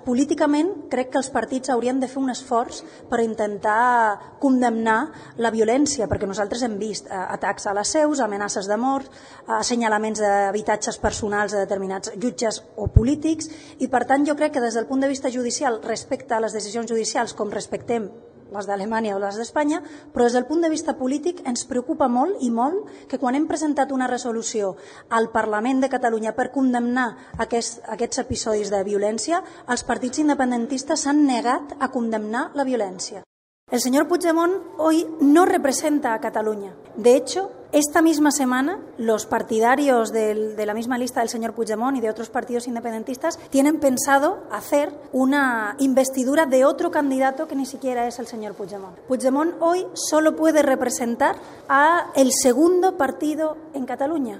políticament crec que els partits haurien de fer un esforç per intentar condemnar la violència, perquè nosaltres hem vist atacs a les seus, amenaces de mort, assenyalaments d'habitatges personals de determinats jutges o polítics, i per tant jo crec que des del punt de vista judicial, respecte a les decisions judicials com respectem les d'Alemanya o les d'Espanya, però des del punt de vista polític ens preocupa molt i molt que quan hem presentat una resolució al Parlament de Catalunya per condemnar aquests episodis de violència, els partits independentistes s'han negat a condemnar la violència. El señor Puigdemont hoy no representa a Cataluña. De hecho, esta misma semana, los partidarios de la misma lista del señor Puigdemont y de otros partidos independentistas tienen pensado hacer una investidura de otro candidato que ni siquiera es el señor Puigdemont. Puigdemont hoy solo puede representar a el segundo partido en Cataluña.